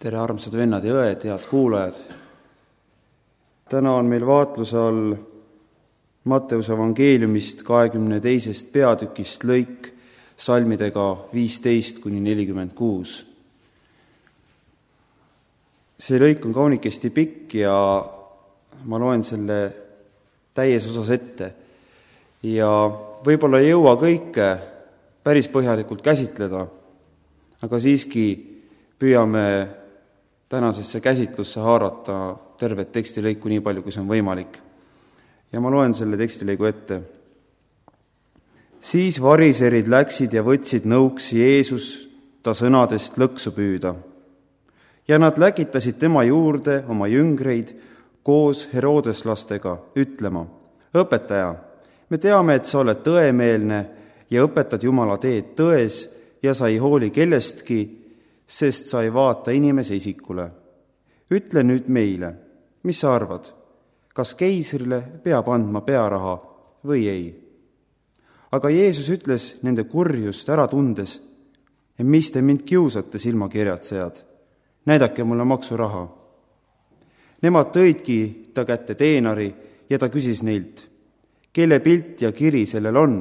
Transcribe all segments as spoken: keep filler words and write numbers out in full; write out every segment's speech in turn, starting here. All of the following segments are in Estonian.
tere, armsad vennad ja õed, head kuulajad! Täna on meil vaatluse all Matteuse evangeeliumist kahekümne teisest peatükist lõik salmidega viisteist kuni nelikümmend kuus. See lõik on kaunikesti pikk ja ma loen selle täies osas ette. Ja võib-olla ei jõua kõike päris põhjalikult käsitleda, aga siiski püüame tänasesse käsitlusse haarata tervet tekstilõiku nii palju, kui see on võimalik. Ja ma loen selle tekstilõigu ette. Siis variserid läksid ja võtsid nõuks Jeesus ta sõnadest lõksu püüda. Ja nad läkitasid tema juurde oma jüngreid koos Herodeslastega ütlema: õpetaja, me teame, et sa oled tõemeelne ja õpetad Jumala teed tões ja sa ei hooli kellestki, sest sa ei vaata inimese isikule. Ütle nüüd meile, mis sa arvad, kas keisrile peab andma pearaha või ei? Aga Jeesus ütles nende kurjust ära tundes: mis te mind kiusate, silmakirjatsejad? Näidake mulle maksuraha. Nemad tõidki ta kätte teenari ja ta küsis neilt: kelle pilt ja kiri sellel on?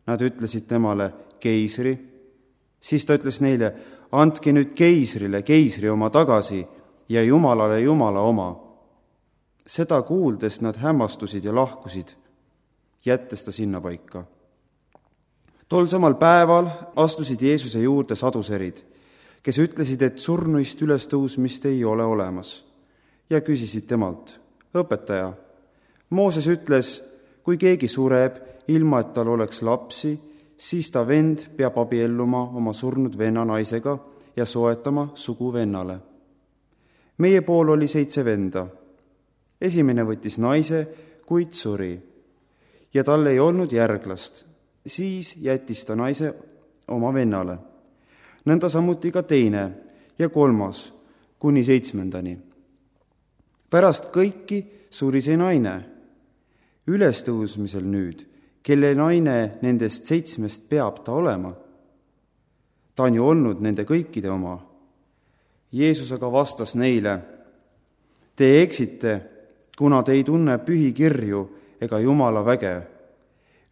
Nad ütlesid temale: keisri. Siis ta ütles neile: andke nüüd keisrile keisri oma tagasi ja Jumalale Jumala oma. Seda kuuldes nad hämmastusid ja lahkusid, jättes ta sinna paika. Tol samal päeval astusid Jeesuse juurde saduserid, kes ütlesid, et surnuist ülestõusmist ei ole olemas, ja küsisid temalt: õpetaja, Mooses ütles, kui keegi sureb, ilma et tal oleks lapsi, siis ta vend peab abielluma oma surnud venna naisega ja soetama sugu vennale. Meie pool oli seitse venda. Esimene võttis naise, kuid suri, ja tal ei olnud järglast. Siis jättis ta naise oma vennale. Nõnda samuti ka teine ja kolmas, kuni seitsmendani. Pärast kõiki suri see naine. Ülestõusmisel nüüd, kelle naine nendest seitsmest peab ta olema? Ta on ju olnud nende kõikide oma. Jeesus aga vastas neile: te eksite, kuna te ei tunne pühikirju ega Jumala väge.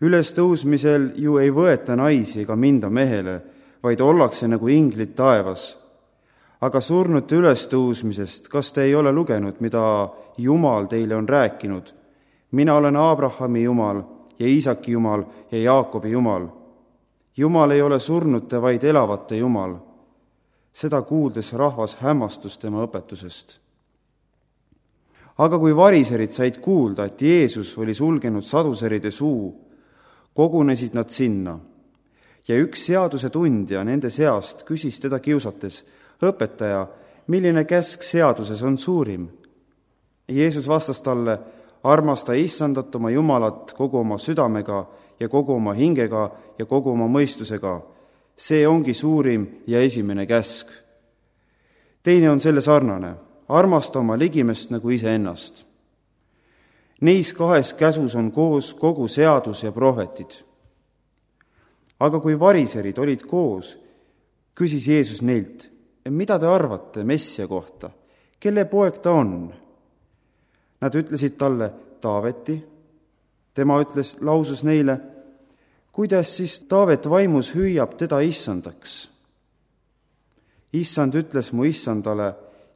Ülestõusmisel ju ei võeta naisi ega minda mehele, vaid ollakse nagu inglid taevas. Aga surnute ülestõusmisest, kas te ei ole lugenud, mida Jumal teile on rääkinud? Mina olen Abrahami Jumal ja Iisaki Jumal ja Jaakobi Jumal. Jumal ei ole surnute, vaid elavate Jumal. Seda kuuldes rahvas hämmastus tema õpetusest. Aga kui variserid said kuulda, et Jeesus oli sulgenud saduseride suu, kogunesid nad sinna. Ja üks seaduse tundja nende seast küsis teda kiusates: õpetaja, milline käsk seaduses on suurim? Jeesus vastas talle: armasta Issandat oma Jumalat kogu oma südamega ja kogu oma hingega ja kogu oma mõistusega. See ongi suurim ja esimene käsk. Teine on selle sarnane: armasta oma ligimest nagu iseennast. Neis kahes käsus on koos kogu seadus ja prohvetid. Aga kui variserid olid koos, küsis Jeesus neilt: mida te arvate Messia kohta? Kelle poeg ta on? Nad ütlesid talle: Taaveti. Tema ütles, lausus neile: kuidas siis Taavet vaimus hüüab teda issandaks? Issand ütles mu issandale: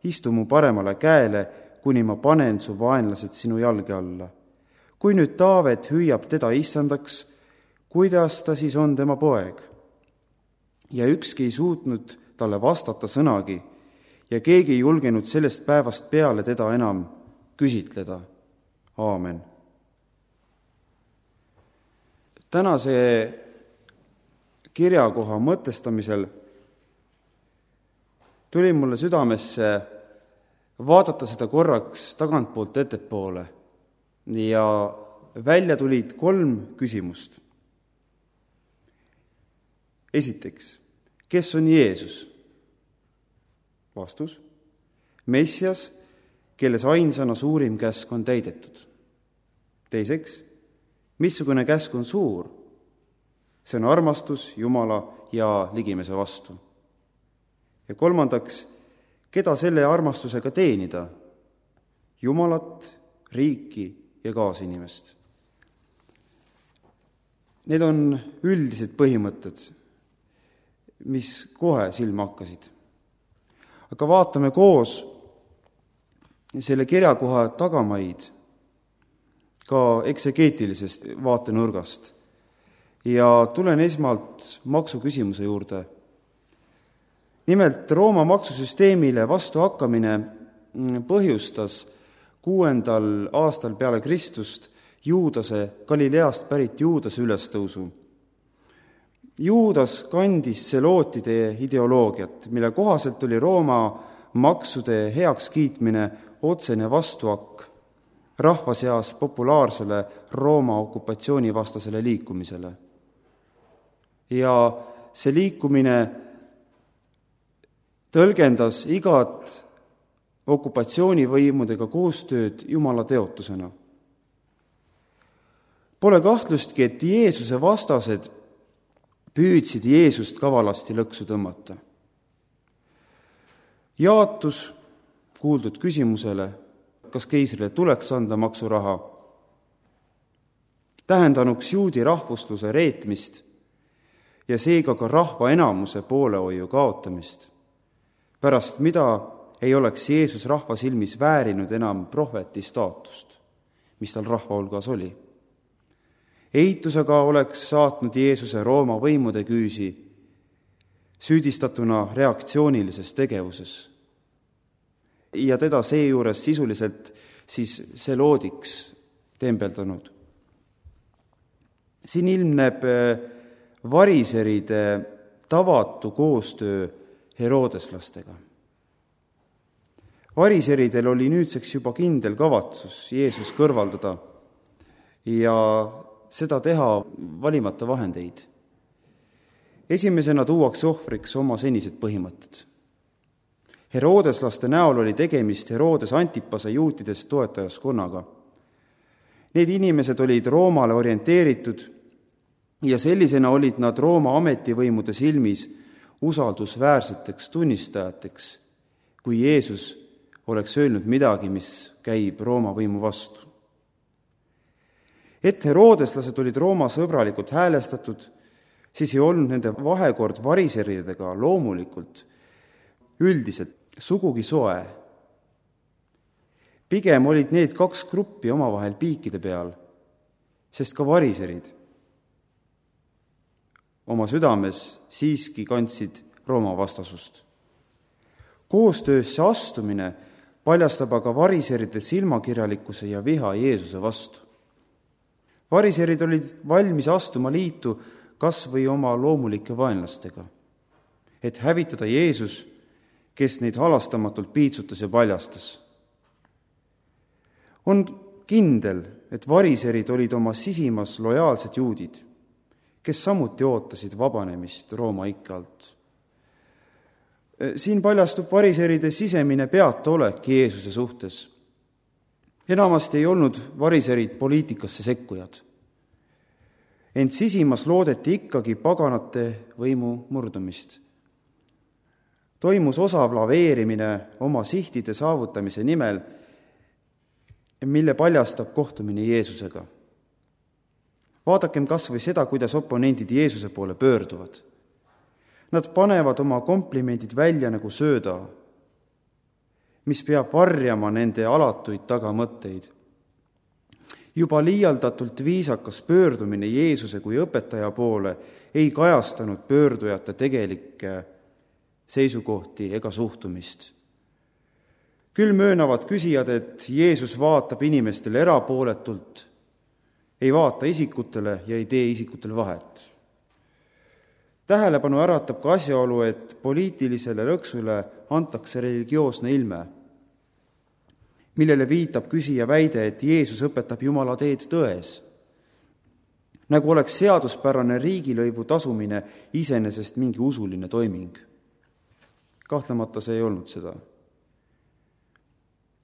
istu mu paremale käele, kuni ma panen su vaenlased sinu jalge alla. Kui nüüd Taavet hüüab teda issandaks, kuidas ta siis on tema poeg? Ja ükski ei suutnud talle vastata sõnagi ja keegi ei julgenud sellest päevast peale teda enam küsitleda. Aamen. Tänase kirjakoha mõtestamisel tuli mulle südamesse vaadata seda korraks tagantpoolt ettepoole ja välja tulid kolm küsimust. Esiteks, kes on Jeesus? Vastus: Messias, kelles ainsana suurim käsk on täidetud. Teiseks, missugune käsk on suur? See on armastus Jumala ja ligimese vastu. Ja kolmandaks, keda selle armastusega teenida? Jumalat, riiki ja kaasinimest. Need on üldised põhimõtted, mis kohe silma hakkasid. Aga vaatame koos selle kirjakoha tagamaid ka eksegeetilisest vaatenurgast. Ja tulen esmalt maksuküsimuse juurde. Nimelt Rooma maksusüsteemile vastu hakkamine põhjustas kuuendal aastal peale Kristust Juudase, Galileast pärit Juudase ülestõusu. Juudas kandis selootide ideoloogiat, mille kohaselt oli Rooma maksude heaks kiitmine otsene vastuhakk rahva seas populaarsele Rooma okupatsioonivastasele liikumisele. Ja see liikumine tõlgendas igat okupatsioonivõimudega koostööd Jumala teotusena. Pole kahtlustki, et Jeesuse vastased püüdsid Jeesust kavalasti lõksu tõmmata. Jaatus kuuldud küsimusele, kas keisrile tuleks anda maksuraha, tähendanuks juudi rahvusluse reetmist ja seega ka rahva enamuse poolehoiu kaotamist, pärast mida ei oleks Jeesus rahva silmis väärinud enam prohveti staatust, mis tal rahva hulgas oli. Eitusega oleks saatnud Jeesuse Rooma võimude küüsi, süüdistatuna reaktsioonilises tegevuses. Ja teda seejuures sisuliselt siis seloodiks tembeldanud. Siin ilmneb variseride tavatu koostöö herodeslastega. Variseridel oli nüüdseks juba kindel kavatsus Jeesus kõrvaldada ja seda teha valimata vahendeid. Esimesena tuuakse ohvriks oma senised põhimõtted. Herodeslaste näol oli tegemist Herodes Antipase juutidest toetajaskonnaga. Need inimesed olid Roomale orienteeritud ja sellisena olid nad Rooma ametivõimude silmis usaldusväärseteks tunnistajateks, kui Jeesus oleks öelnud midagi, mis käib Rooma võimu vastu. Et herodeslased olid Rooma sõbralikult häälestatud, siis ei olnud nende vahekord variseridega loomulikult üldiselt sugugi soe. Pigem olid need kaks gruppi omavahel piikide peal, sest ka variserid oma südames siiski kandsid Rooma vastasust. Koostöösse astumine paljastab aga variseride silmakirjalikkuse ja viha Jeesuse vastu. Variserid olid valmis astuma liitu kas või oma loomulike vaenlastega, et hävitada Jeesus, kes neid halastamatult piitsutas ja paljastas. On kindel, et variserid olid oma sisimas lojaalsed juudid, kes samuti ootasid vabanemist Rooma ikke alt. Siin paljastub variseride sisemine peataolek Jeesuse suhtes. Enamasti ei olnud variserid poliitikasse sekkujad. Ent sisimas loodeti ikkagi paganate võimu murdumist. Toimus osav laveerimine oma sihtide saavutamise nimel, mille paljastab kohtumine Jeesusega. Vaadakem kas või seda, kuidas oponendid Jeesuse poole pöörduvad. Nad panevad oma komplimendid välja nagu sööda, mis peab varjama nende alatuid tagamõtteid. Juba liialdatult viisakas pöördumine Jeesuse kui õpetaja poole ei kajastanud pöördujate tegelikke seisukohti ega suhtumist. Küll möönavad küsijad, et Jeesus vaatab inimestele erapooletult, ei vaata isikutele ja ei tee isikutele vahet. Tähelepanu äratab ka asjaolu, et poliitilisele lõksule antakse religioosne ilme, millele viitab küsija väide, et Jeesus õpetab Jumala teed tões, nagu oleks seaduspärane riigilõivu tasumine iseenesest mingi usuline toiming. Kahtlemata see ei olnud seda.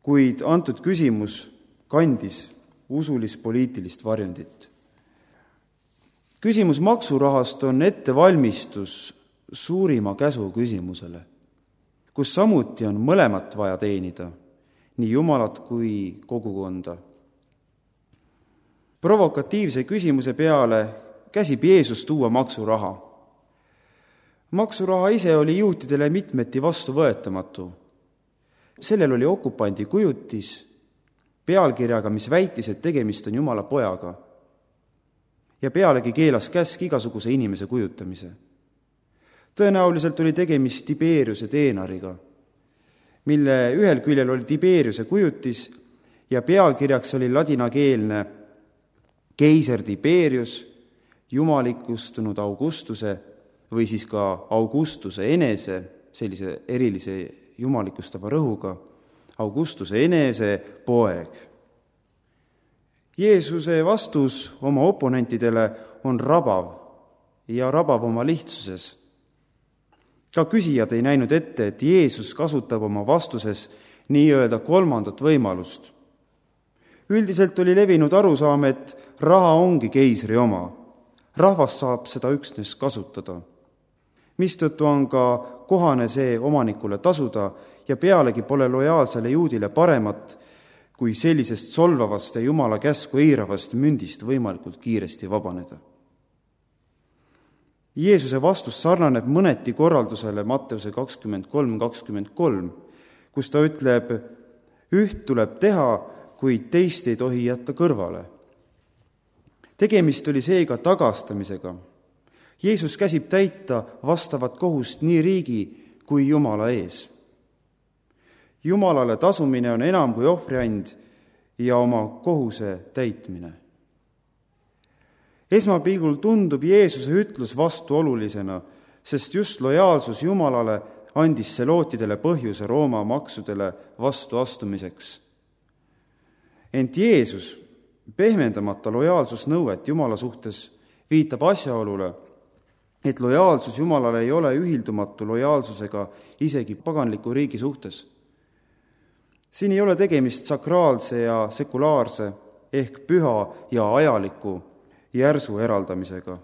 Kuid antud küsimus kandis usulis-poliitilist varjundit. Küsimus maksurahast on ettevalmistus suurima käsu küsimusele. kus samuti on mõlemat vaja teenida, nii Jumalat kui kogukonda. Provokatiivse küsimuse peale käsib Jeesus tuua maksuraha. Maksuraha ise oli juutidele mitmeti vastuvõetamatu. Sellel oli okupandi kujutis pealkirjaga, mis väitis, et tegemist on Jumala pojaga. Ja pealegi keelas käsk igasuguse inimese kujutamise. Tõenäoliselt oli tegemist Tiberiuse teenariga, mille ühel küljel oli Tiberiuse kujutis ja pealkirjaks oli ladinakeelne keiser Tiberius, jumalikustunud Augustuse või siis ka Augustuse enese, sellise erilise jumalikustava rõhuga, Augustuse enese poeg. Jeesuse vastus oma oponentidele on rabav ja rabav oma lihtsuses. Ka küsijad ei näinud ette, et Jeesus kasutab oma vastuses nii-öelda kolmandat võimalust. Üldiselt oli levinud arusaam, et raha ongi keisri oma. Rahvas saab seda üksnes kasutada. Mistõttu on ka kohane see omanikule tasuda ja pealegi pole lojaalsele juudile paremat, kui sellisest solvavast ja Jumala käsku eiravast mündist võimalikult kiiresti vabaneda. Jeesuse vastus sarnaneb mõneti korraldusele Matteuse kakskümmend kolm kakskümmend kolm, kus ta ütleb, üht tuleb teha, kuid teist ei tohi jätta kõrvale. Tegemist oli seega tagastamisega. Jeesus käsib täita vastavat kohust nii riigi kui Jumala ees. Jumalale tasumine on enam kui ohvriand ja oma kohuse täitmine. Esmapilgul tundub Jeesuse ütlus vastuolulisena, sest just lojaalsus Jumalale andis selootidele põhjuse Rooma maksudele vastuastumiseks. Ent Jeesus, pehmendamata lojaalsusnõuet Jumala suhtes, viitab asjaolule, et lojaalsus Jumalale ei ole ühildumatu lojaalsusega isegi paganliku riigi suhtes. Siin ei ole tegemist sakraalse ja sekulaarse ehk püha ja ajaliku järsu eraldamisega,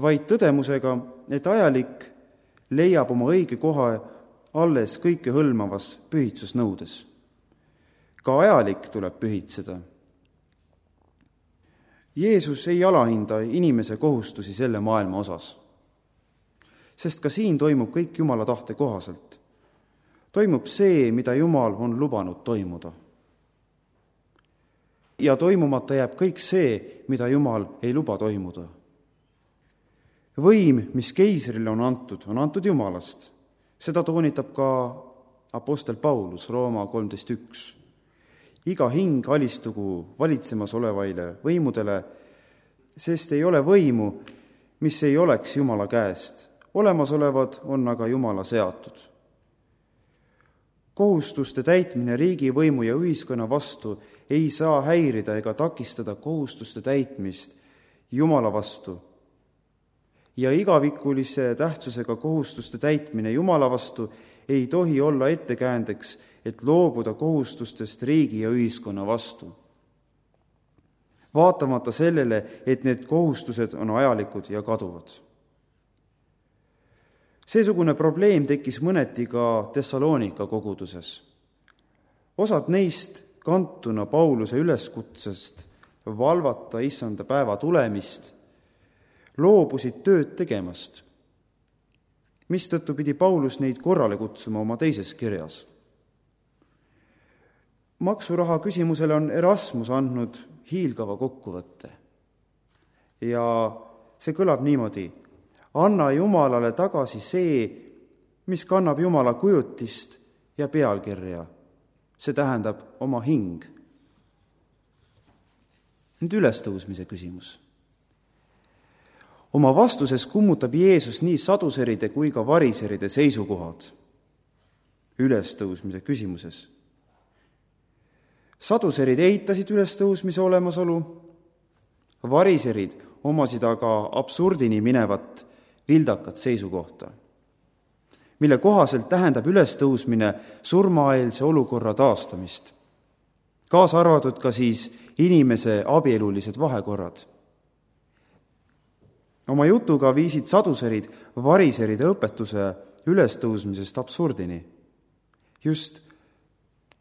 vaid tõdemusega, et ajalik leiab oma õige koha alles kõike hõlmavas pühitsusnõudes. Ka ajalik tuleb pühitseda. Jeesus ei alahinda inimese kohustusi selle maailma osas, sest ka siin toimub kõik Jumala tahte kohaselt. Toimub see, mida Jumal on lubanud toimuda. Ja toimumata jääb kõik see, mida Jumal ei luba toimuda. Võim, mis keisrile on antud, on antud Jumalast. Seda toonitab ka apostel Paulus Rooma kolmteist üks. Iga hing alistugu valitsemas olevaile võimudele, sest ei ole võimu, mis ei oleks Jumala käest. Olemasolevad on aga Jumala seatud. Kohustuste täitmine riigi võimu ja ühiskonna vastu ei saa häirida ega takistada kohustuste täitmist Jumala vastu. Ja igavikulise tähtsusega kohustuste täitmine Jumala vastu ei tohi olla ettekäändeks, et loobuda kohustustest riigi ja ühiskonna vastu. Vaatamata sellele, et need kohustused on ajalikud ja kaduvad. Seesugune probleem tekkis mõneti ka Thessaloonika koguduses. Osad neist kantuna Pauluse üleskutsest valvata issanda päeva tulemist loobusid tööd tegemast, mistõttu pidi Paulus neid korrale kutsuma oma teises kirjas. Maksuraha küsimusele on Erasmus andnud hiilgava kokkuvõtte. Ja see kõlab niimoodi: anna Jumalale tagasi see, mis kannab Jumala kujutist ja pealkirja. See tähendab oma hing. Nüüd ülestõusmise küsimus. Oma vastuses kummutab Jeesus nii saduseride kui ka variseride seisukohad ülestõusmise küsimuses. Saduserid eitasid ülestõusmise olemasolu, variserid omasid aga absurdini minevat vildakat seisukohta, mille kohaselt tähendab ülestõusmine surmaeelse olukorra taastamist, kaasa arvatud ka siis inimese abielulised vahekorrad. Oma jutuga viisid saduserid variseride õpetuse ülestõusmisest absurdini. Just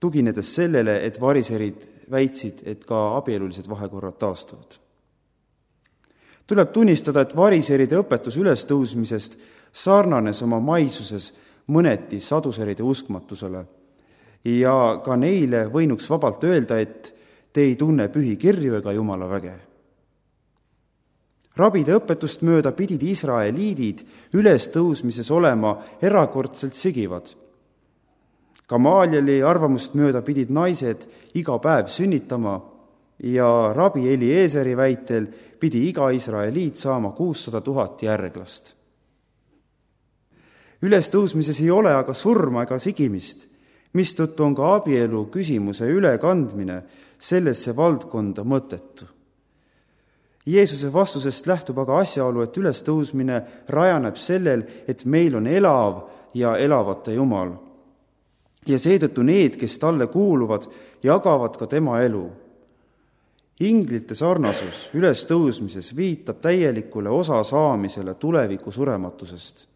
tuginedes sellele, et variserid väitsid, et ka abielulised vahekorrad taastuvad. Tuleb tunnistada, et variseride õpetus ülestõusmisest sarnanes oma maisuses mõneti saduseride uskmatusele ja ka neile võinuks vabalt öelda, et te ei tunne pühi kirju ega Jumala väge. Rabide õpetust mööda pidid Israeliidid ülestõusmises olema erakordselt sigivad. Gamalieli arvamust mööda pidid naised iga päev sünnitama ja rabi Eliezeri väitel pidi iga Israeliit saama kuussada tuhat järglast. Ülestõusmises ei ole aga surma ega sigimist, mistõttu on ka abielu küsimuse ülekandmine sellesse valdkonda mõttetu. Jeesuse vastusest lähtub aga asjaolu, et ülestõusmine rajaneb sellel, et meil on elav ja elavate Jumal. Ja seetõttu need, kes talle kuuluvad, jagavad ka tema elu. Inglite sarnasus ülestõusmises viitab täielikule osa saamisele tuleviku surematusest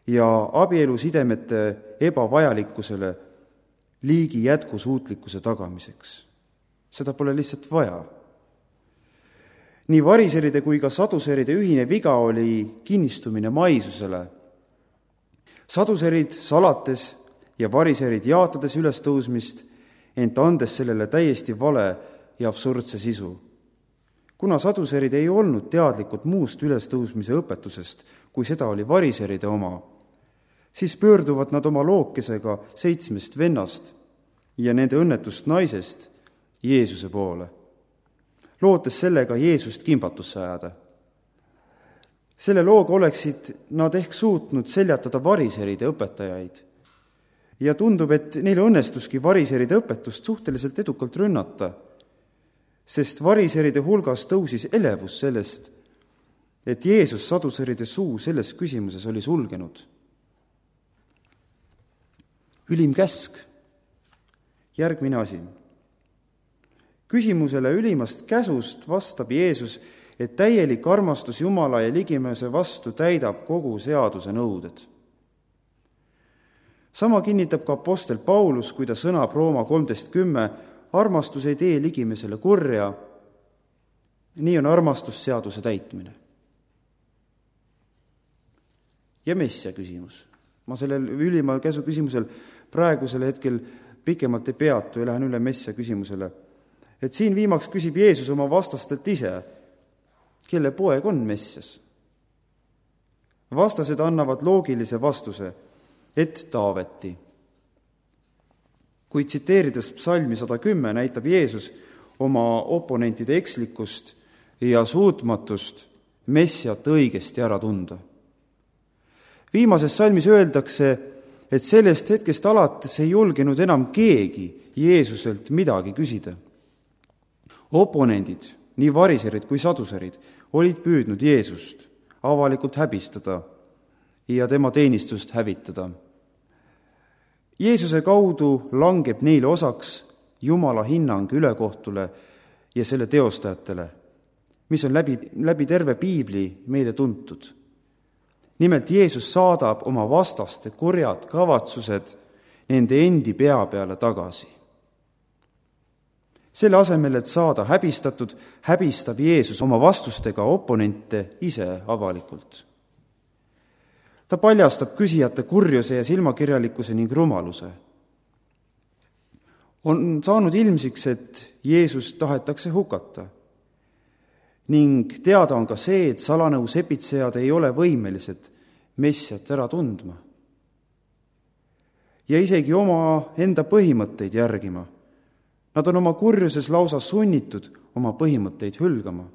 ja abielusidemete ebavajalikkusele liigi jätkusuutlikkuse tagamiseks. Seda pole lihtsalt vaja. Nii variseride kui ka saduseride ühine viga oli kinnistumine maisusele. Saduserid salates ja variserid jaatades ülestõusmist, ent andes sellele täiesti vale ja absurdse sisu. Kuna saduserid ei olnud teadlikud muust ülestõusmise õpetusest, kui seda oli variseride oma, siis pöörduvad nad oma lookesega seitsmest vennast ja nende õnnetust naisest Jeesuse poole, lootes sellega Jeesust kimbatusse ajada. Selle looga oleksid nad ehk suutnud seljatada variseride õpetajaid ja tundub, et neil õnnestuski variseride õpetust suhteliselt edukalt rünnata, sest variseride hulgas tõusis elevus sellest, et Jeesus saduseride suu selles küsimuses oli sulgenud. Ülim käsk, järgmine asi. Küsimusele ülimast käsust vastab Jeesus, et täielik armastus Jumala ja ligimese vastu täidab kogu seaduse nõuded. Sama kinnitab ka apostel Paulus, kui ta sõnab Rooma kolmteist kümme, armastus ei tee ligimesele kurja, nii on armastus seaduse täitmine. Ja messia küsimus. Ma sellel ülima käsu küsimusel praegusel hetkel pikemalt ei peatu ja lähen üle messia küsimusele. Et siin viimaks küsib Jeesus oma vastastelt ise, kelle poeg on Messias. Vastased annavad loogilise vastuse, et Taaveti. Kui tsiteerides psalmi sada kümme näitab Jeesus oma oponentide ekslikkust ja suutmatust Messiat õigesti ära tunda. Viimases salmis öeldakse, et sellest hetkest alates ei julgenud enam keegi Jeesuselt midagi küsida. Oponendid, nii variserid kui saduserid, olid püüdnud Jeesust avalikult häbistada ja tema teenistust hävitada. Jeesuse kaudu langeb neile osaks Jumala hinnang ülekohtule ja selle teostajatele, mis on läbi, läbi terve Piibli meile tuntud. Nimelt Jeesus saadab oma vastaste kurjad kavatsused nende endi pea peale tagasi. Selle asemel, et saada häbistatud, häbistab Jeesus oma vastustega oponente ise avalikult. Ta paljastab küsijate kurjuse ja silmakirjalikkuse ning rumaluse. On saanud ilmsiks, et Jeesus tahetakse hukata. Ning teada on ka see, et salanõu sepitsejad ei ole võimelised Messiat ära tundma. Ja isegi oma enda põhimõtteid järgima. Nad on oma kurjuses lausa sunnitud oma põhimõtteid hülgama.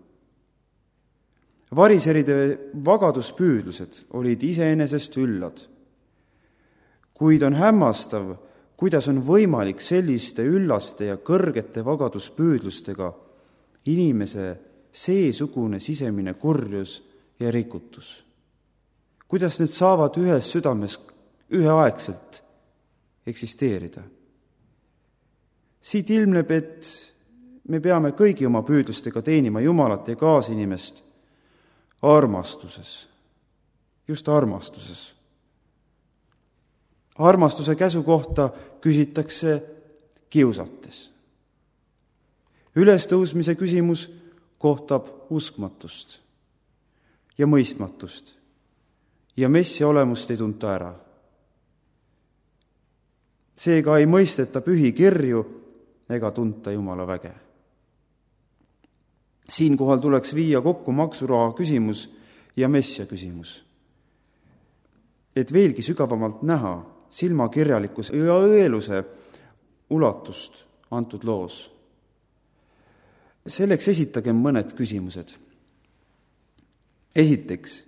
Variseride vagaduspüüdlused olid iseenesest üllad. Kuid on hämmastav, kuidas on võimalik selliste üllaste ja kõrgete vagaduspüüdlustega inimese seesugune sisemine kurjus ja rikutus. Kuidas need saavad ühes südames üheaegselt eksisteerida? Siit ilmneb, et me peame kõigi oma püüdlustega teenima Jumalat ja kaasinimest armastuses, just armastuses, armastuse käsu kohta küsitakse kiusates. Ülestõusmise küsimus kohtab uskmatust ja mõistmatust ja messia olemust ei tunta ära. Seega ei mõisteta pühi kirju ega tunta Jumala väge. Siinkohal tuleks viia kokku maksuraha küsimus ja messia küsimus, et veelgi sügavamalt näha silmakirjalikkuse ja õeluse ulatust antud loos. Selleks esitagem mõned küsimused. Esiteks,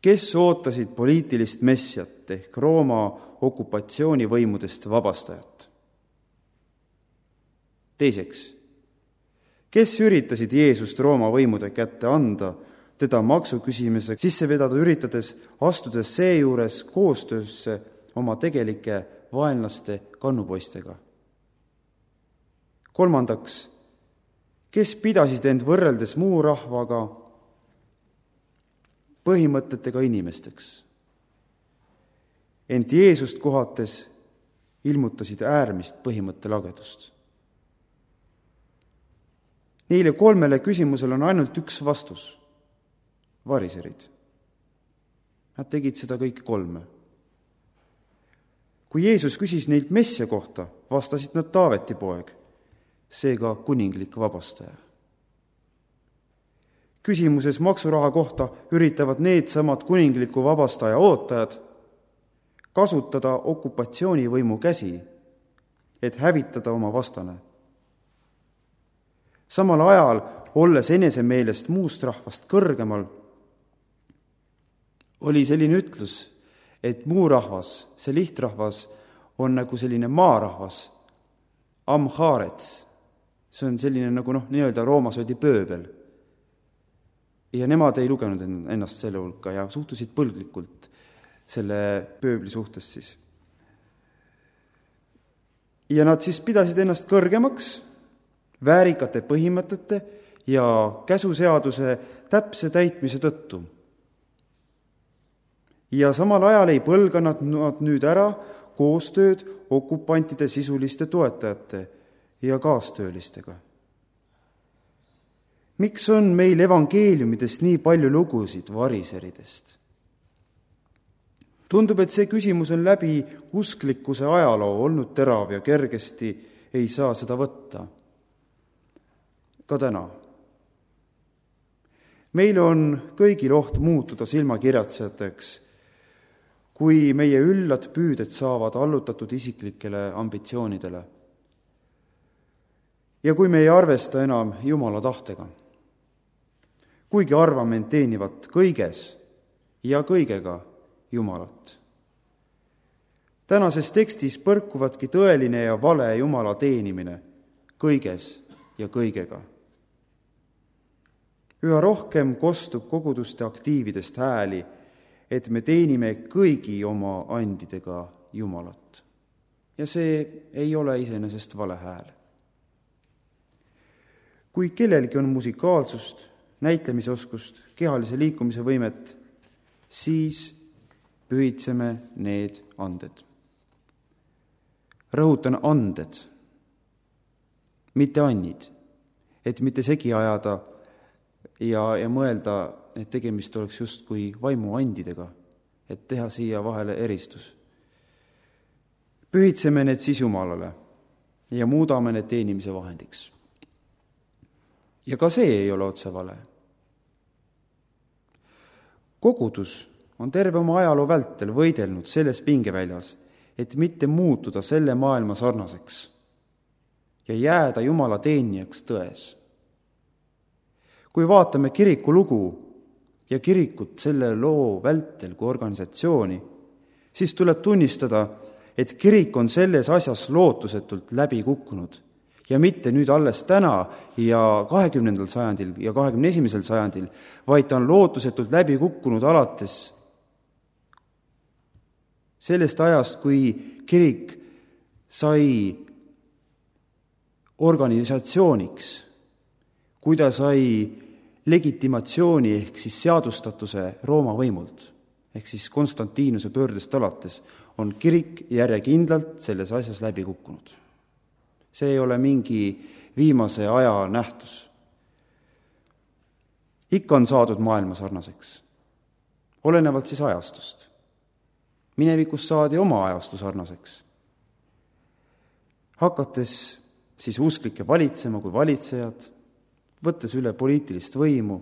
kes ootasid poliitilist messiat ehk Rooma okupatsioonivõimudest vabastajat? Teiseks, kes üritasid Jeesust Rooma võimude kätte anda, teda maksu küsimiseks sisse vedada üritades, astudes seejuures koostöösse oma tegelike vaenlaste kannupoistega? Kolmandaks, kes pidasid end võrreldes muu rahvaga põhimõtetega inimesteks, ent Jeesust kohates ilmutasid äärmist põhimõttelagedust. Neile kolmele küsimusele on ainult üks vastus. Variserid. Nad tegid seda kõik kolme. Kui Jeesus küsis neilt messia kohta, vastasid nad Taaveti poeg, seega kuninglik vabastaja. Küsimuses maksuraha kohta üritavad needsamad kuningliku vabastaja ootajad kasutada okupatsioonivõimu käsi, et hävitada oma vastane. Samal ajal, olles enesemeelest muust rahvast kõrgemal, oli selline ütlus, et muu rahvas, see lihtrahvas, on nagu selline maarahvas, amhaarets. See on selline nagu noh, nii-öelda Roomas oli pööbel. Ja nemad ei lugenud ennast selle hulka ja suhtusid põlglikult selle pööbli suhtes siis. Ja nad siis pidasid ennast kõrgemaks väärikate põhimõtete ja käsuseaduse täpse täitmise tõttu. Ja samal ajal ei põlga nad nüüd ära koostööd okupantide sisuliste toetajate ja kaastöölistega. Miks on meil evangeeliumidest nii palju lugusid variseridest? Tundub, et see küsimus on läbi usklikkuse ajaloo olnud terav ja kergesti ei saa seda võtta. Ka täna. Meil on kõigil oht muutuda silmakirjatsejateks, kui meie üllad püüded saavad allutatud isiklikele ambitsioonidele. Ja kui me ei arvesta enam Jumala tahtega, kuigi arvame end teenivat kõiges ja kõigega Jumalat. Tänases tekstis põrkuvadki tõeline ja vale Jumala teenimine kõiges ja kõigega. Üha rohkem kostub koguduste aktiividest hääli, et me teenime kõigi oma andidega Jumalat. Ja see ei ole iseenesest vale hääl. Kui kellelgi on musikaalsust, näitlemisoskust, kehalise liikumise võimet, siis pühitseme need anded. Rõhutan anded, mitte annid, et mitte segi ajada ja, ja mõelda, et tegemist oleks justkui vaimuandidega, et teha siia vahele eristus. Pühitseme need siis Jumalale ja muudame need teenimise vahendiks. Ja ka see ei ole otse vale. Kogudus on terve oma ajaloo vältel võidelnud selles pingeväljas, et mitte muutuda selle maailma sarnaseks ja jääda Jumala teenijaks tões. Kui vaatame kiriku lugu ja kirikut selle loo vältel kui organisatsiooni, siis tuleb tunnistada, et kirik on selles asjas lootusetult läbi kukkunud ja mitte nüüd alles täna ja kahekümnendal sajandil ja kahekümne esimesel sajandil, vaid ta on lootusetult läbi kukkunud alates sellest ajast, kui kirik sai organisatsiooniks, kui ta sai legitimatsiooni ehk siis seadustatuse Rooma võimult, ehk siis Konstantinuse pöördest alates on kirik järjekindlalt selles asjas läbi kukkunud. See ei ole mingi viimase aja nähtus. Ikka on saadud maailma sarnaseks, olenevalt siis ajastust. Minevikus saadi oma ajastu sarnaseks. Hakates siis usklikke valitsema kui valitsejad, võttes üle poliitilist võimu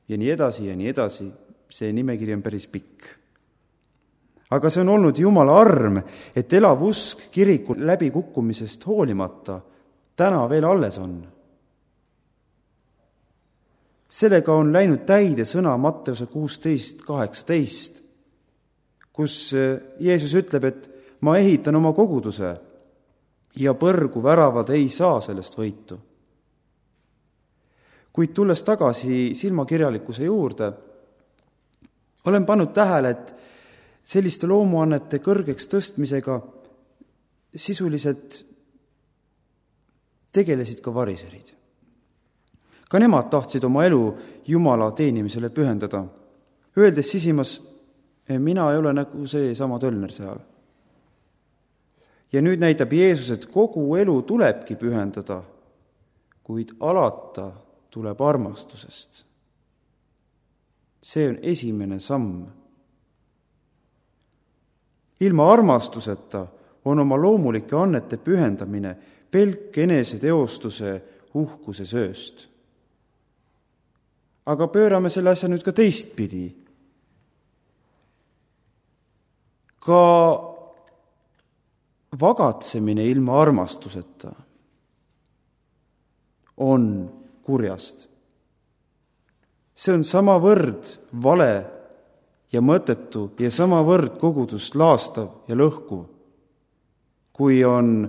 ja nii edasi ja nii edasi, see nimekiri on päris pikk. Aga see on olnud Jumala arm, et elav usk kiriku läbikukkumisest hoolimata täna veel alles on. Sellega on läinud täide sõna Matteuse kuusteist kaheksateist, kus Jeesus ütleb, et ma ehitan oma koguduse ja põrgu väravad ei saa sellest võitu. Kuid tulles tagasi silmakirjalikkuse juurde, olen pannud tähele, et selliste loomuannete kõrgeks tõstmisega sisuliselt tegelesid ka variserid. Ka nemad tahtsid oma elu Jumala teenimisele pühendada, öeldes sisimas, mina ei ole nagu see sama tölner seal. Ja nüüd näitab Jeesus, et kogu elu tulebki pühendada, kuid alata tuleb armastusest. See on esimene samm. Ilma armastuseta on oma loomulike annete pühendamine pelk eneseteostuse uhkuse sööst. Aga pöörame selle asja nüüd ka teistpidi. Ka vagatsemine ilma armastuseta on kurjast. See on samavõrd vale ja mõttetu ja samavõrd kogudust laastav ja lõhkuv, kui on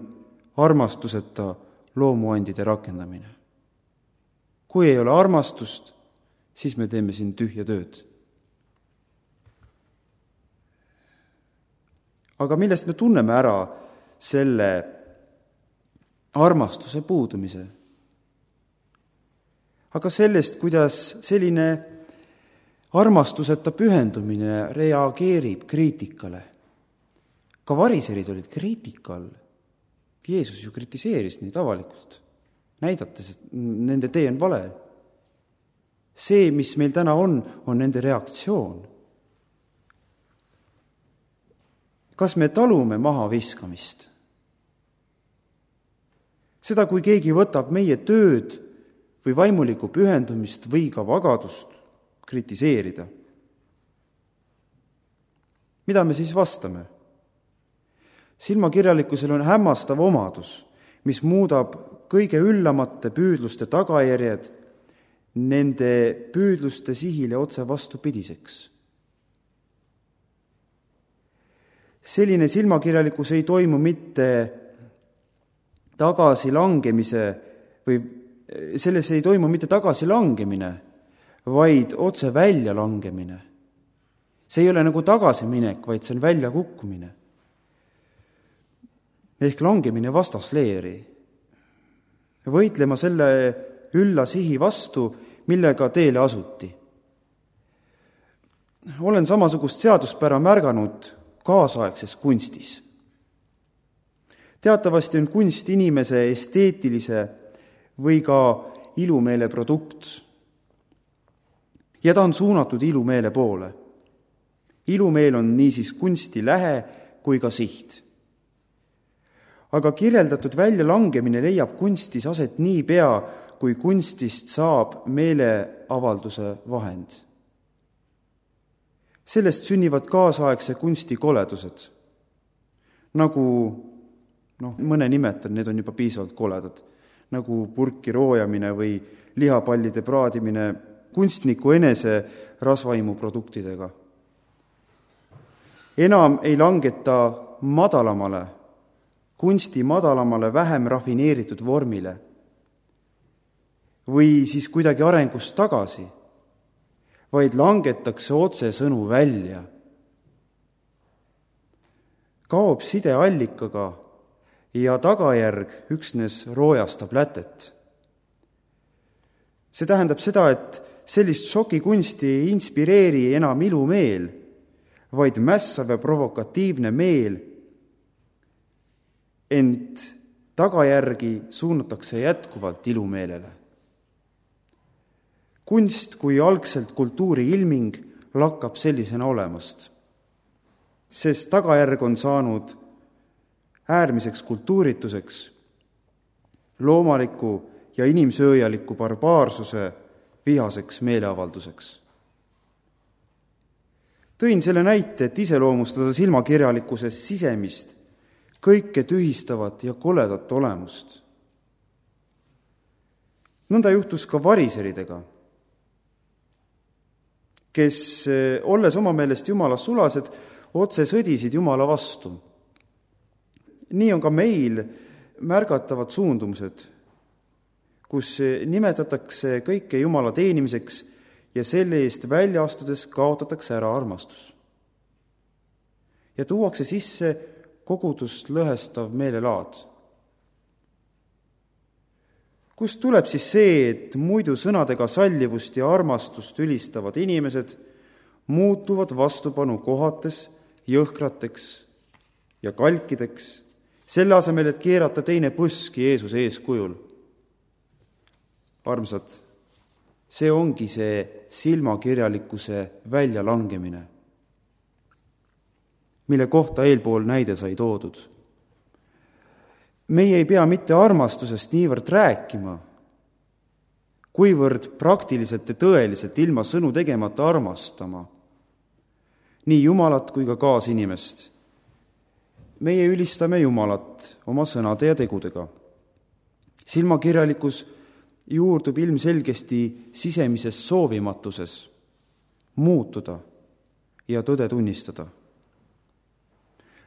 armastuseta loomuandide rakendamine. Kui ei ole armastust, siis me teeme siin tühja tööd. Aga millest me tunneme ära selle armastuse puudumise? Aga sellest, kuidas selline armastuseta pühendumine reageerib kriitikale. Ka variserid olid kriitikal. Jeesus ju kritiseeris neid avalikult, näidates, et nende tee on vale. See, mis meil täna on, on nende reaktsioon. Kas me talume maha viskamist? Seda, kui keegi võtab meie tööd või vaimulikku pühendumist või ka vagadust kritiseerida. Mida me siis vastame? Silmakirjalikkusel on hämmastav omadus, mis muudab kõige üllamate püüdluste tagajärjed nende püüdluste sihile otse vastupidiseks. Selline silmakirjalikkus ei toimu mitte tagasilangemise või selles ei toimu mitte tagasilangemine, vaid otse väljalangemine. See ei ole nagu tagasiminek, vaid see on väljakukkumine. Ehk langemine vastasleeri. Võitlema selle ülla sihi vastu, millega teele asuti. Olen samasugust seaduspära märganud kaasaegses kunstis. Teatavasti on kunst inimese esteetilise või ka ilumeele produkt. Ja ta on suunatud ilumeele poole. Ilumeel on niisiis kunsti lähe kui ka siht. Aga kirjeldatud väljalangemine leiab kunstis aset nii pea, kui kunstist saab meeleavalduse vahend. Sellest sünnivad kaasaegse kunsti koledused. Nagu, noh, mõne nimetan, need on juba piisavalt koledad. Nagu purki roojamine või lihapallide praadimine kunstniku enese rasvaimu produktidega. Enam ei langeta madalamale, kunsti madalamale vähem rafineeritud vormile või siis kuidagi arengust tagasi, vaid langetakse otse sõnu välja. Kaob side allikaga ja tagajärg üksnes roojastab lätet. See tähendab seda, et sellist šokikunsti ei inspireeri enam ilumeel, vaid mässav ja provokatiivne meel, ent tagajärgi suunatakse jätkuvalt ilumeelele. Kunst kui algselt kultuuri ilming lakkab sellisena olemast, sest tagajärg on saanud äärmiseks kultuurituseks, loomaliku ja inimsööjaliku barbaarsuse vihaseks meeleavalduseks. Tõin selle näite, et iseloomustada silmakirjalikkuses sisemist, kõike tühistavat ja koledat olemust. Nõnda juhtus ka variseridega, kes, olles oma meelest Jumala sulased, otse sõdisid Jumala vastu. Nii on ka meil märgatavad suundumused, kus nimetatakse kõike Jumala teenimiseks ja selle eest välja astudes kaotatakse ära armastus. Ja tuuakse sisse kogudust lõhestav meelelaad. Kust tuleb siis see, et muidu sõnadega sallivust ja armastust ülistavad inimesed muutuvad vastupanu kohates jõhkrateks ja kalkideks, selle asemel, et keerata teine põski Jeesuse eeskujul? Armsad, see ongi see silmakirjalikkuse väljalangemine, mille kohta eelpool näide sai toodud. Meie ei pea mitte armastusest niivõrd rääkima, kuivõrd praktiliselt ja tõeliselt ilma sõnu tegemata armastama, nii Jumalat kui ka kaasinimest. Meie ülistame Jumalat oma sõnade ja tegudega. Silmakirjalikkus juurdub ilmselgesti sisemises soovimatuses muutuda ja tõde tunnistada.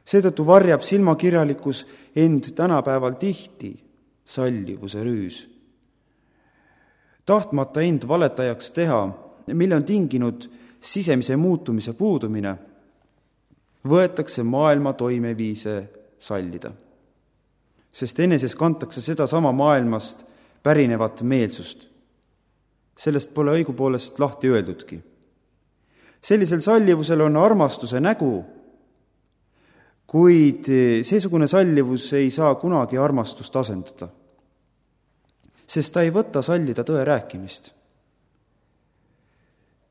Seetõttu varjab silmakirjalikkus end tänapäeval tihti sallivuse rüüs. Tahtmata end valetajaks teha, mille on tinginud sisemise muutumise puudumine, võetakse maailma toimeviise sallida, sest eneses kantakse seda sama maailmast pärinevat meelsust. Sellest pole õigupoolest lahti öeldudki. Sellisel sallivusel on armastuse nägu, kuid seesugune sallivus ei saa kunagi armastust asendada, sest ta ei võta sallida tõe rääkimist.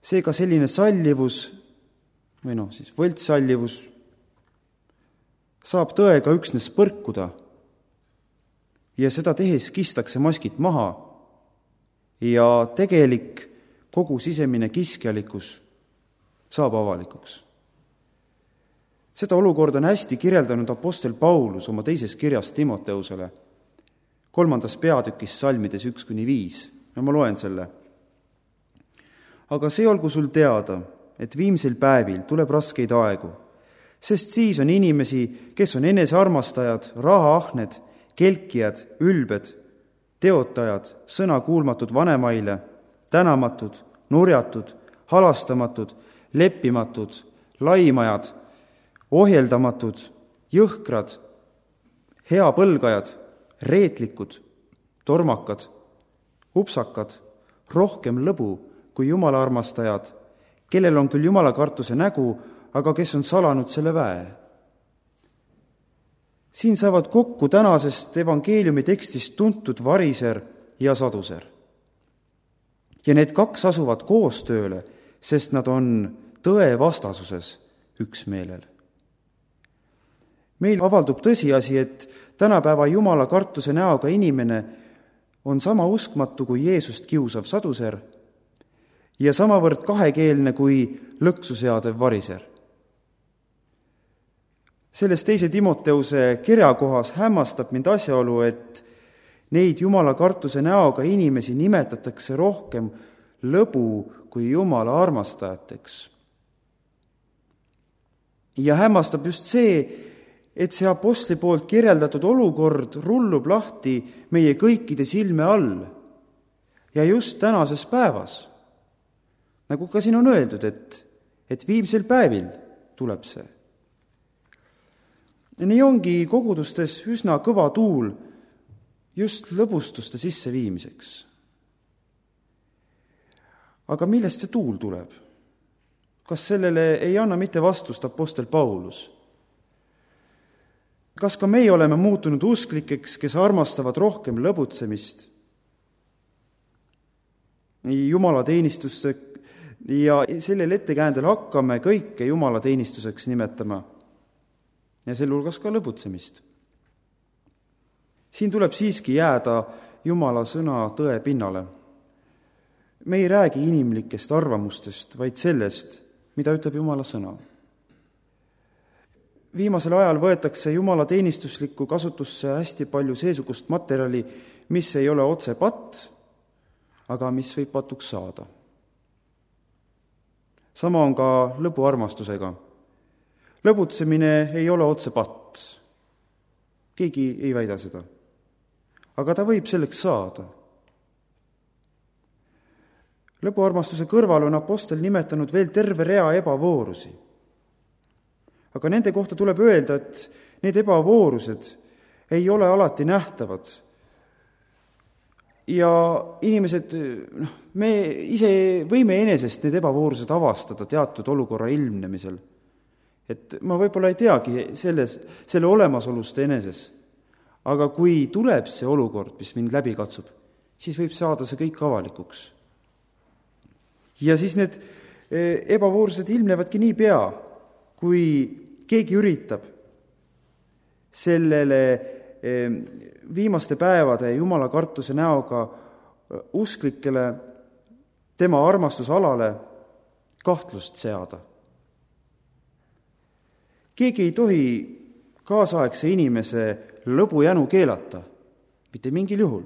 Seega selline sallivus, või noh, siis võltssallivus, saab tõega üksnes põrkuda ja seda tehes kistakse maskid maha ja tegelik kogu sisemine kiskjalikkus saab avalikuks. Seda olukorda on hästi kirjeldanud apostel Paulus oma teises kirjas Timoteusele, kolmandas peatükis salmides üks kuni viis, ja ma loen selle. Aga see olgu sul teada, et viimsel päevil tuleb raskeid aegu, sest siis on inimesi, kes on enesearmastajad, rahaahned, kelkijad, ülbed, teotajad, sõnakuulmatud vanemaile, tänamatud, nurjatud, halastamatud, leppimatud, laimajad, ohjeldamatud, jõhkrad, heapõlgajad, reetlikud, tormakad, upsakad, rohkem lõbu kui Jumala armastajad, kellel on küll Jumala kartuse nägu, aga kes on salanud selle väe. Siin saavad kokku tänasest evangeeliumi tekstist tuntud variser ja saduser. Ja need kaks asuvad koostööle, sest nad on tõe vastasuses üksmeelel. Meil avaldub tõsiasi, et tänapäeva Jumala kartuse näoga inimene on sama uskmatu kui Jeesust kiusav saduser ja samavõrd kahekeelne kui lõksu seadev variser. Selles teise Timoteuse kirjakohas hämmastab mind asjaolu, et neid Jumala kartuse näoga inimesi nimetatakse rohkem lõbu kui Jumala armastajateks. Ja hämmastab just see, et see apostli poolt kirjeldatud olukord rullub lahti meie kõikide silme all ja just tänases päevas. Nagu ka siin on öeldud, et, et viimsel päevil tuleb see. Nii ongi kogudustes üsna kõva tuul just lõbustuste sisseviimiseks. Aga millest see tuul tuleb? kas sellele ei anna mitte vastust apostel Paulus? Kas ka meie oleme muutunud usklikeks, kes armastavad rohkem lõbutsemist, jumalateenistusse ja sellel ettekäändel hakkame kõike jumalateenistuseks nimetama ja selle hulgas ka lõbutsemist? Siin tuleb siiski jääda Jumala sõna tõe pinnale. Me ei räägi inimlikest arvamustest, vaid sellest, mida ütleb Jumala sõna. Viimasel ajal võetakse Jumala teenistuslikku kasutusse hästi palju seesugust materjali, mis ei ole otse patt, aga mis võib patuks saada. Sama on ka lõbuarmastusega. Lõbutsemine ei ole otse patt. Keegi ei väida seda. Aga ta võib selleks saada. Lõbuarmastuse kõrval on apostel nimetanud veel terve rea ebavoorusi. Aga nende kohta tuleb öelda, et need ebavoorused ei ole alati nähtavad. Ja inimesed, noh, me ise võime enesest need ebavoorused avastada teatud olukorra ilmnemisel. Et ma võib-olla ei teagi selles, selle olemasolust eneses, aga kui tuleb see olukord, mis mind läbi katsub, siis võib saada see kõik avalikuks. Ja siis need ebavoorused ilmnevadki nii pea, kui keegi üritab sellele viimaste päevade Jumala kartuse näoga usklikele tema armastusalale kahtlust seada. Keegi ei tohi kaasaegse inimese lõbujänu keelata, mitte mingil juhul.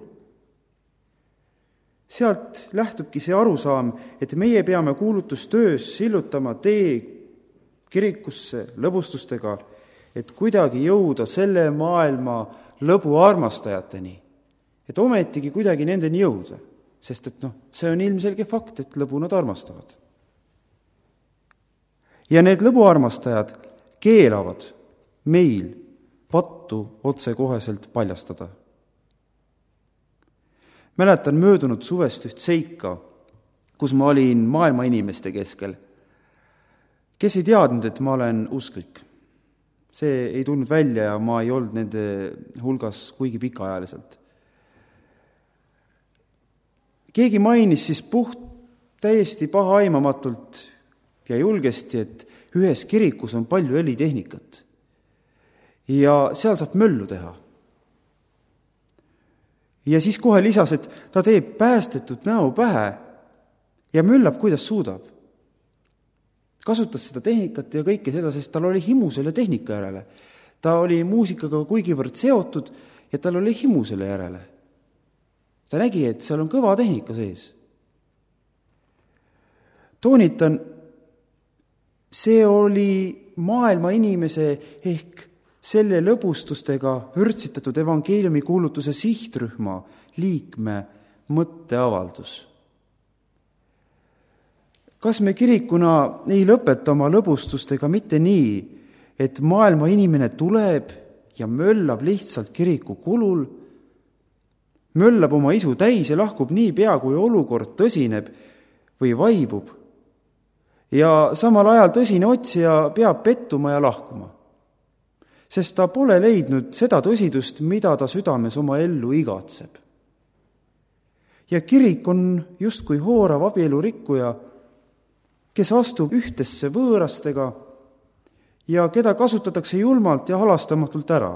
Sealt lähtubki see arusaam, et meie peame kuulutustöös sillutama tee kirikusse lõbustustega, et kuidagi jõuda selle maailma lõbu armastajateni, et ometigi kuidagi nendeni jõuda, sest et noh, see on ilmselge fakt, et lõbu nad armastavad. Ja need lõbuarmastajad keelavad meil pattu otsekoheselt paljastada. Mäletan möödunud suvest üht seika, kus ma olin maailma inimeste keskel, kes ei teadnud, et ma olen usklik. See ei tulnud välja ja ma ei olnud nende hulgas kuigi pikaajaliselt. Keegi mainis siis puht täiesti pahaaimamatult ja julgesti, et ühes kirikus on palju helitehnikat ja seal saab möllu teha. Ja siis kohe lisas, et ta teeb päästetud näo pähe ja möllab, kuidas suudab. Kasutas seda tehnikat ja kõike seda, sest tal oli himu selle tehnika järele. Ta oli muusikaga kuigivõrd seotud ja tal oli himu selle järele. Ta nägi, et seal on kõva tehnika sees. Toonitan, see oli maailma inimese ehk selle lõbustustega vürtsitatud evangeeliumi kuulutuse sihtrühma liikme mõtteavaldus. Kas me kirikuna ei lõpeta oma lõbustustega mitte nii, et maailma inimene tuleb ja möllab lihtsalt kiriku kulul, möllab oma isu täis ja lahkub nii pea, kui olukord tõsineb või vaibub, ja samal ajal tõsine otsija peab pettuma ja lahkuma, sest ta pole leidnud seda tõsidust, mida ta südames oma ellu igatseb. Ja kirik on justkui hoorav abielurikkuja, kes astub ühtesse võõrastega ja keda kasutatakse julmalt ja halastamatult ära.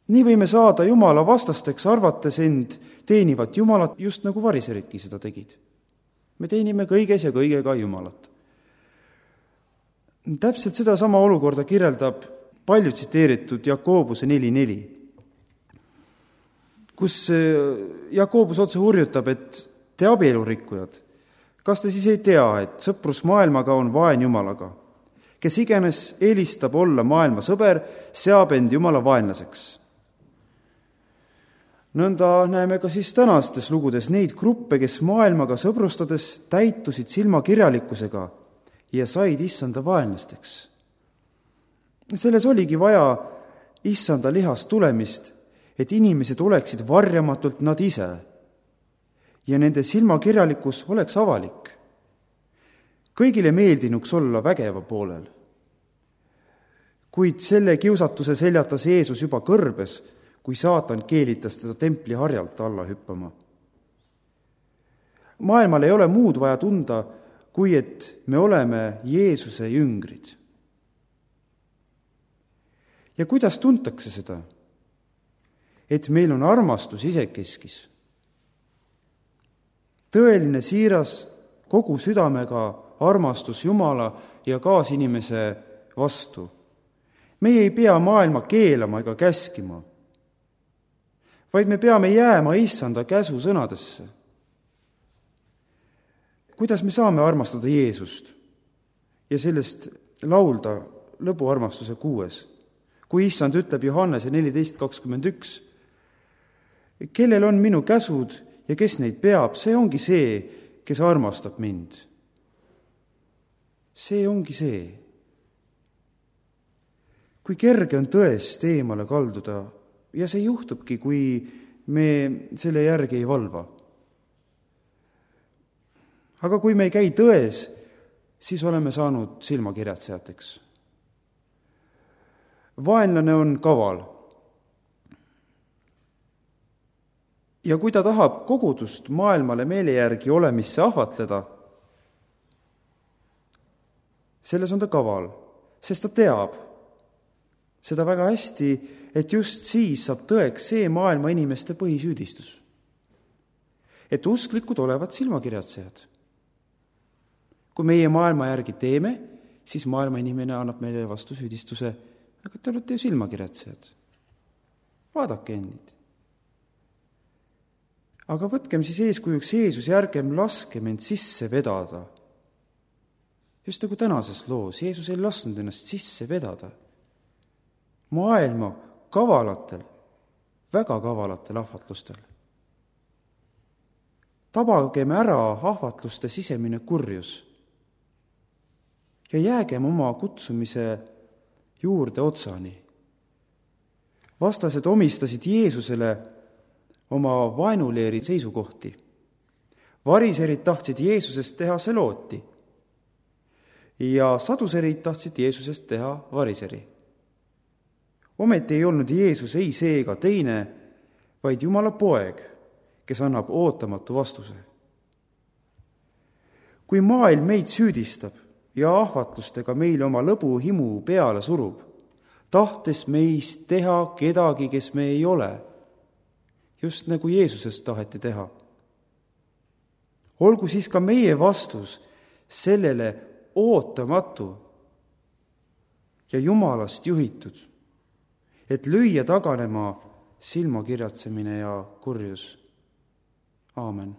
Nii võime saada Jumala vastasteks, arvates end teenivat Jumalat, just nagu variseridki seda tegid. Me teenime kõiges ja kõigega Jumalat. Täpselt seda sama olukorda kirjeldab palju tsiteeritud Jakobuse neli neli, kus Jakobus otse hurjutab, et te abielurikkujad, kas te siis ei tea, et sõprus maailmaga on vaen Jumalaga? Kes iganes eelistab olla maailma sõber, seab end Jumala vaenlaseks. Nõnda näeme ka siis tänastes lugudes neid gruppe, kes maailmaga sõbrustades täitusid silmakirjalikkusega ja said issanda vaenlasteks. Selles oligi vaja issanda lihast tulemist, et inimesed oleksid varjamatult nad ise ja nende silmakirjalikkus oleks avalik. kõigile meeldinuks olla vägeva poolel. Kuid selle kiusatuse seljatas Jeesus juba kõrbes, kui saatan keelitas teda templi harjalt alla hüppama. Maailmal ei ole muud vaja tunda, kui et me oleme Jeesuse jüngrid. Ja kuidas tuntakse seda? Et meil on armastus isekeskis. Tõeline siiras kogu südamega armastus Jumala ja kaasinimese vastu. Meie ei pea maailma keelama ega käskima, vaid me peame jääma issanda käsu sõnadesse. Kuidas me saame armastada Jeesust ja sellest laulda lõbuarmastuse kuues, kui issand ütleb Johannese neliteist kakskümmend üks, kellel on minu käsud ja kes neid peab, see ongi see, kes armastab mind. See ongi see. Kui kerge on tõest eemale kalduda ja see juhtubki, kui me selle järgi ei valva. Aga kui me ei käi tões, siis oleme saanud silmakirjatsejateks. Vaenlane on kaval. Ja kui ta tahab kogudust maailmale meele järgi olemisse ahvatleda, selles on ta kaval, sest ta teab seda väga hästi, et just siis saab tõeks see maailma inimeste põhisüüdistus. Et usklikud olevat silmakirjatsejad. Kui meie maailma järgi teeme, siis maailma inimene annab meile vastu süüdistuse, aga te olete ju silmakirjatsejad. Vaadake endid. Aga võtkem siis eeskujuks Jeesus ja ärgem laske end sisse vedada. Just nagu tänases loos, Jeesus ei lasknud ennast sisse vedada. Maailma kavalatel, väga kavalatel ahvatlustel. Tabagem ära ahvatluste sisemine kurjus ja jäägem oma kutsumise juurde otsani. Vastased omistasid Jeesusele oma vaenuleeri seisukohti. Variserid tahtsid Jeesusest teha selooti ja saduserid tahtsid Jeesusest teha variseri. Ometi ei olnud Jeesus ei see ega teine, vaid Jumala poeg, kes annab ootamatu vastuse. Kui maailm meid süüdistab ja ahvatlustega meile oma lõbu himu peale surub, tahtes meist teha kedagi, kes me ei ole, just nagu Jeesusest taheti teha. Olgu siis ka meie vastus sellele ootamatu ja Jumalast juhitud, et lüüa taganema silmakirjatsemine ja kurjus. Aamen.